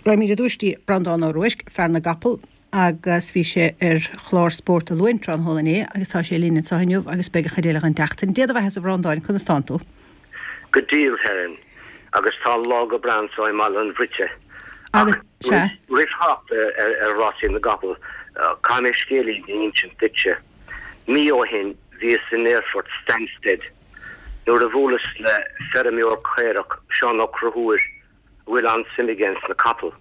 Raghaimid ar dtúis dtí Breandán Ó Ruairc, fear na gcapall, agus bhí sé ar chlár Spórt an Luain tráthnóna inné agus tá sé linn anseo inniu agus beidh an chuid eile den tseachtain. Dé do bheatha-sa a Bhreandáin, conas tánn tú? Go diail, Helen, agus tá an lá go breá anso i mBaile an Bhruite. Ach roimh theacht ar rásaí na gcapall, caithfidh mé scéilín a insint duitse. Mí ó shin bhíos in aerfort Stansted nuair a bhuaileas le feirmeoir caorach, Seán Ó Conchúir, a bhfuil an-suim aige ins na capaill.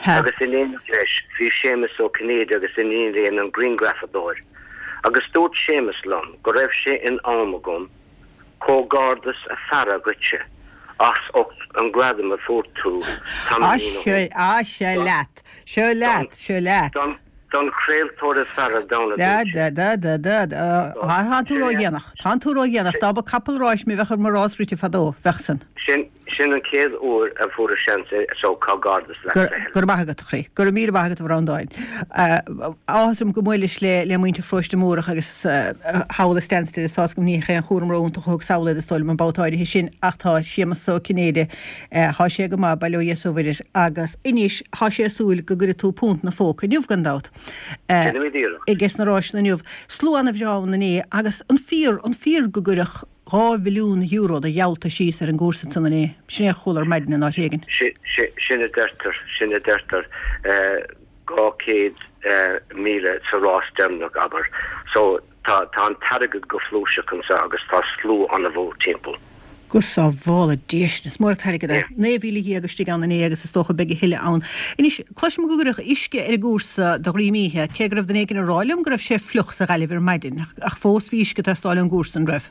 Agus in éineacht leis bhí Séamus Ó Cinnéide agus a iníon Elaine an grianghrafadóir. Agus dúirt Séamus liom go raibh sé in am agam comhghairdeas a fhearadh dhuitse as ucht an gradam a fuair tú tamaillín ó shin. Á, seo leat! Seo leat! Seo leat! Don chraoltóir is fearr ar domhan a dúirt sé. Da, da, da, da. Tá tú ródhéanach. Tá tú ródhéanach. Dá mba capall ráis mé bheadh mo rás rite fadó. Bheadh san. Sin. Sin an chéad uair a fuaireas seans é so comhghairdeas leat a Helen. Go raibh maith agat, a chroí. Go raibh míle maith agat, a Bhreandáin. Áthas orm go mbuaileas le le muintir Pharóiste Múrach agus thall i Stansted is tá's agam ní haon chúram ró-iontach a thug sall iad is dóigh liom an babhta áirithe sin ach tá Séamus Ó Cinnéide, thá sé go maith, bail ó Dhia is ó Mhuire air agus anois thá sé ag súil go gcuirfidh tú punt 'na phóca inniu gan dabht. Déanfaimid iarracht. Aige sna ráiseanna inniu. Slua ana-bhreá ann inné agus an fíor, an fíor go gcuireadh €2 mhilliún de gheallta síos ar an gcúrsa ansan inné. Sin é a chuala ar maidin in áit éigin. Sin a deirtear, sin a deirtear. 200,000 sa rás deireanach, abair. So, tá, tá an t-airgead go flúirseach anso agus tá slua an-mhór timpeall. Go sábhála Dia sinn, is mór an t-airgead é. 19,000 istigh ann inné agus is dócha beidh a thuilleadh ann. Anois, cloisim go gcuireadh uisce ar an gcúrsa de dhroim oíche, cé go raibh duine éigin ag rá liom go raibh sé fliuch sa Ghaillimh ar maidin, ach fós bhí uisce ag teastáil ón gcúrsa, an raibh?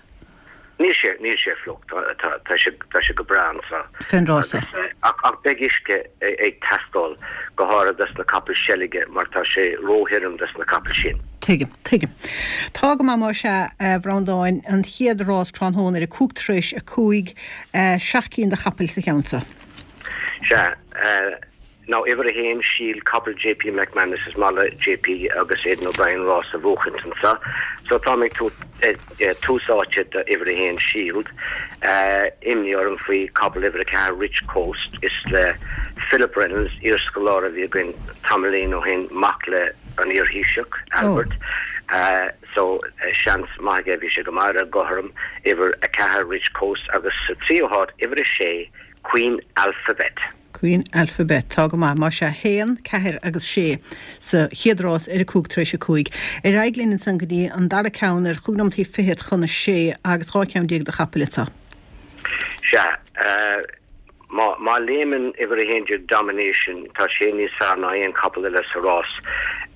Níl sé, níl sé fliuch, tá, tá, tá sé, tá sé go breá anso. Fén rása. Ach, ach beidh uisce ag teastáil, go háirithe dos na capaill seilge mar tá sé róthirim dos na capaill sin. Tuigim, tuigim. Tá go maith más ea, a Bhreandáin, an chéad rás tráthnóna ar a cúig tar éis a cúig, seacht gcinn de chapaill sa cheann so. Sea. Now, uimhir a haon, Shield, capall JP McManus, is maith le JP agus Aidan O'Brien rás a bhuachaint anso. So táim ag tabhairt tús áite do uimhir a haon, Shield. Imní orm faoi capall uimhir a ceathair, Rich Coast. Is le Philip Reynolds, iarscoláire a bhí againn tamaillín ó shin, mac le an iar-Thaoiseach, Albert. So seans maith aige, bhí sé go maith ar an gcothrom, uimhir a ceathair, Rich Coast, agus sa tríú háit, uimhir a sé, Queen Alphabet. Queen Alphabet. Tá go maith, más ea. Haon, ceathair agus sé sa chéad rás ar a cúig tar éis a cúig. Ar aghaidh linn ansan go dtí an dara ceann ar chúig nóimeataí fichead chun a sé agus 12 ceann de chapaill anseo. Sea. Má, má léimeann uimhir 11 Domination, tá sé níos fearr ná aon capall eile sa rás.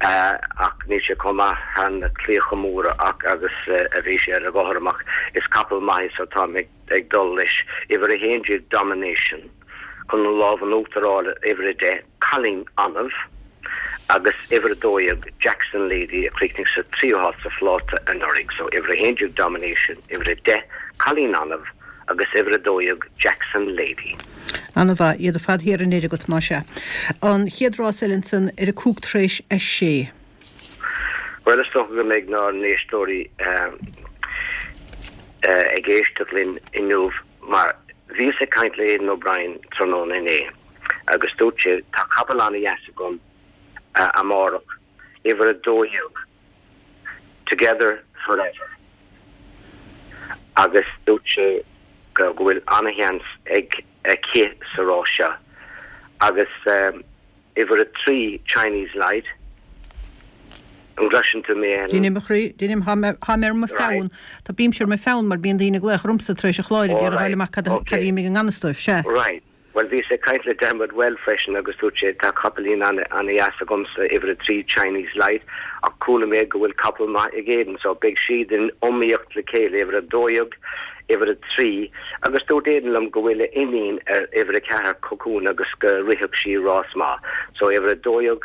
Ach níl sé chomh maith thar na claíocha móra ach agus a bhí sé ar an gcothrom ach is capall maith é so táim ag ag dul leis, uimhir 11 Domination, chun an lámh in uachtar a fháil ar uimhir 10 Cailín Annamh agus uimhir 12 Jackson Lady a chríochnaigh sa tríú háit sa phláta anuraidh. So uimhir 11 Domination, uimhir 10 Cailín Annamh agus uimhir 12 Jackson Lady. Ana-mhaith, iad ar fad thiar anoir agat, más ea. An chéad rás eile ansan ar a cúig tar éis a sé. Bhuel, is dócha go mbeidh ár n-éisteoirí ag éisteacht linn inniu mar bhíos ag caint le Aidan O'Brien tráthnóna inné agus dúirt sé, tá capall an-dheas agam amárach, uimhir 12, Together Forever agus dúirt sé go bhfuil an-sheans ag aici sa rás seo agus Uimhir 3, Chinese Light. An gcloiseann tú mé, Helen? Deinim, a chroí, deinim. Tá mé, tá mé ar mo pheann. Tá, bímse ar mo pheann mar bíonn daoine ag glaoch ormsa tar éis an chláir ag iarraidh fháil amach cad a, cad a d'imigh i ngan fhios dóibh. Sea. Right. Bhuel, bhíos ag caint le Dermot Weld freisin agus dúirt sé, tá capaillín ana-dheas agamsa, uimhir 3, Chinese Light, ach chuala mé go bhfuil capall maith ag Aidan, so beidh siad in iomaíocht le chéile, uimhir 12, uimhir 3, agus dúirt Aidan liom go bhfuil a iníon ar uimhir 4, Cocoon, agus go rithfeadh sí rás maith. So uimhir 12,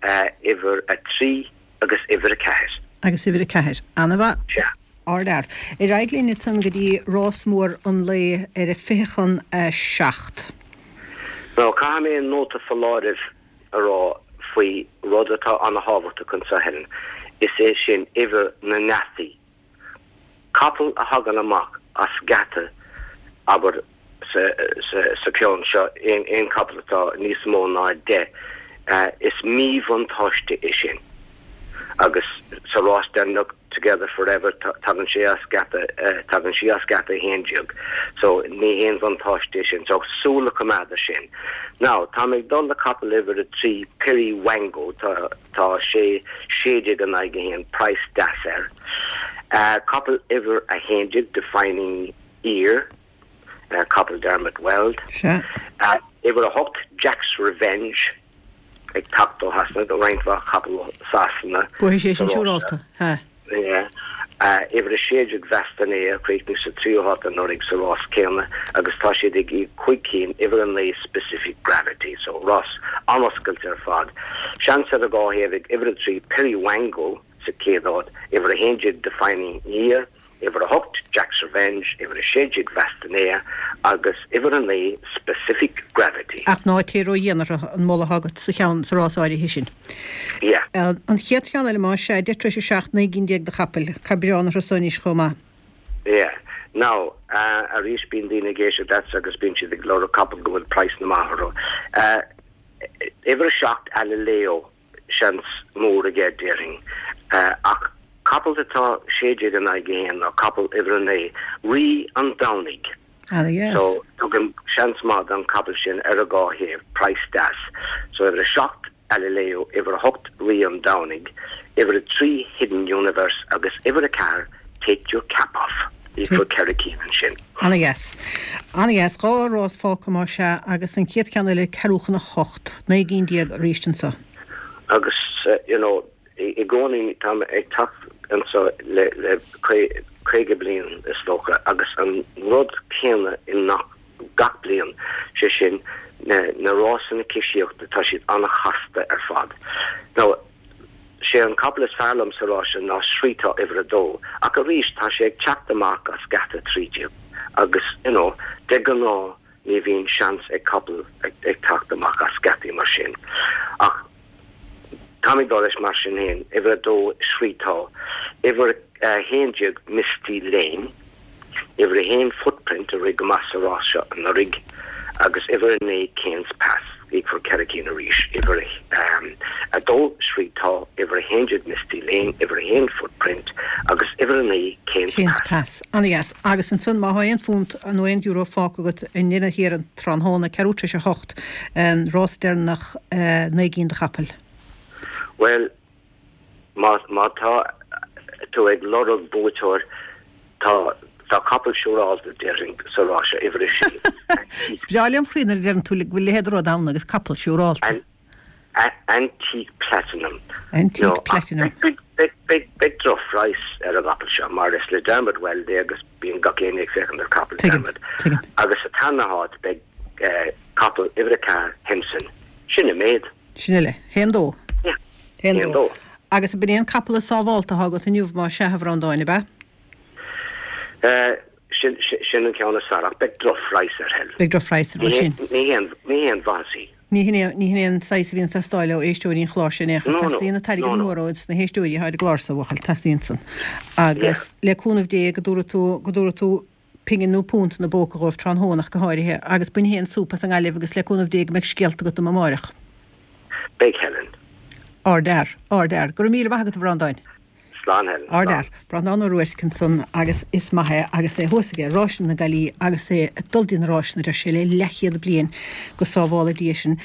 uimhir 3 agus uimhir 4. Agus uimhir 4. Ana-mhaith. Sea. Ardfhear. Ar aghaidh linn ansan go dtí rás mór an lae ar a fiche chun a seacht. Now, caithfidh mé nóta foláirimh a rá faoi rud atá ana-thábhachtach anseo, Helen. Is é sin uimhir na ngeataí. Capall a thagann amach as geata, abair, Sa cheann seo, aon chapall atá níos mó ná 10, is míbhuntáiste é sin. Agus sa rás deireanach, Together Forever, tagann sé as geata, tagann sí as geata 11. So, ní haon bhuntáiste é sin. So, súil a choimeád air sin. Now, tá mé ag dul le capall uimhir 3, Piri Wango, tá, tá sé 16 in aghaidh 1, praghas deas air. Capall uimhir 11, Defining Year. Capall Dermot Weld. Sea. Uimhir 8, Jack's Revenge, ag teacht ó Shasana, roinnt mhaith capall ó Sasana. Buafaidh sé sin siúrálta. Sea. Uimhir 16, Vastanea, a chríochnaigh sa tríú háit anuraidh sa rás céanna agus tá siad ag íoc 5 cinn, uimhir 9, Specific Gravity. So, rás an-oscailte ar fad. Seans ar an dhá thaobh ag uimhir 3, Piri Wango, sa chéad áit, uimhir 11, Defining Year, uimhir 8, Jack's Revenge, uimhir 16, Vastanea, agus uimhir 9, Specific Gravity. Ach ná téigh ró-dhian orthu, an moladh atá agat sa cheann, sa rás áirithe sin. Yeah. An chéad cheann eile, más ea, 7:10 9 gcinn de chapaill. Caith biorán orthu so anois chomh maith. Yeah. Now, arís bíonn daoine ag éisteacht leatsa agus bíonn siad ag lorg capall go bhfuil praghsanna maith orthu. Uimhir 7, Alileo. Seans mór aige, déarfainn. Ach capall atá 16 in aghaidh 1 ná capall uimhir 9, Rí an Domhnaigh. Ana-dheas. So, tugaim seans maith don chapall sin ar an dhá thaobh, praghas deas. So, uimhir 7, Alileo, uimhir 8, Rí an Domhnaigh, uimhir 3, Hidden Universe, agus uimhir 4, Take Your Cap Off. Íocfar 4 cinn ansin. Ana-dheas. Ana-dheas. 2 rás fágtha más ea agus an chéad cheann eile ceathrú chun a hocht. 19 gcinn arís anso. Agus you know i gcónaí táim ag teacht anso le le 50 bliain is dócha agus an rud céanna i ngach bliain, sé sin na na rásanna coisíochta tá siad an-chasta ar fad. Now Sé an capall is fearr liom sa rás seo ná Srítá uimhir a dó, ach arís tá sé ag teacht amach as geata 13 agus you know de ghnáth ní bhíonn seans ag capall ag teacht amach as geataí mar sin. Ach táim ag dul leis mar sin féin, uimhir a dó Srítá, uimhir 11 Misty Lane. Uimhir 1 Footprint a rith go maith sa rás seo anuraidh agus uimhir 9 Cairns Pass, íocfar 4 cinn arís, uimhir 2 Srítá, uimhir 11 Misty Lane, uimhir 1 Footprint agus uimhir 9 Cairns Pass. Pass. Ana-dheas. Agus ansan má thá aon phunt nó aon euro fágtha agat i ndeireadh thiar an tráthnóna, ceathrú tar éis a hocht, an rás deireanach 9 gcinn de chapaill. Bhuel, Má tá tú ag lorg buaiteoir, tá tá capall siúrálta, déarfainn, sa rás seo, uimhir a sé. Is breá lem chroí nuair a deireann tú go bhfuil a leithéid de rud ann agus capall siúrálta. Antique Platinum. Antique Platinum. Beidh drochphraghas ar an gcapall seo mar is le Dermot Weld é agus bíonn gach éinne ag féachaint ar capall Dermot. Agus sa tarna háit beidh capall uimhir a 4, Henson. Sin an méid. Sin uile. Haon dó. Yeah. Haon dó. Haon dó. Agus ab in é an capall is sábhálta atá agat inniu más ea, a Bhreandáin, ab ea? Eh, sin, sin an ceann is fearr, ach beidh drochphraghas air, Helen. Beidh drochphraghas air, mar sin. Ní haon, ní haon mhaitheas í. Ní hin é, ní hin é an saghas a bhíonn ag teastáil ó éisteoirí an chláir seo in aon chor. No, no. Teastaíonn an t-airgead No, no. mór ó na héisteoirí atá ar an gclár seo, a bhuachaill. Teastaíonn san. Agus le cúnamh Dé go dtabharfaidh tú, go dtabharfaidh tú pingin nó punt ina bpóca dhóibh tráthnóna ach go háirithe, agus bain féin súp as an nGaillimh agus le cúnamh Dé go mbeidh scéalta agat dom amáireach. Beidh, Helen. Ardfhear. Ardfhear. Go raibh míle maith agat, a Bhreandáin. Slán, Helen. Ardfhear. Breandán Ó Ruairc ansan agus is maith é agus é thuas aige Ráiseanna na Gaillí agus é ag dul dtí na ráiseanna, deir sé, le leathchéad bliain, go sábhála Dia sinn.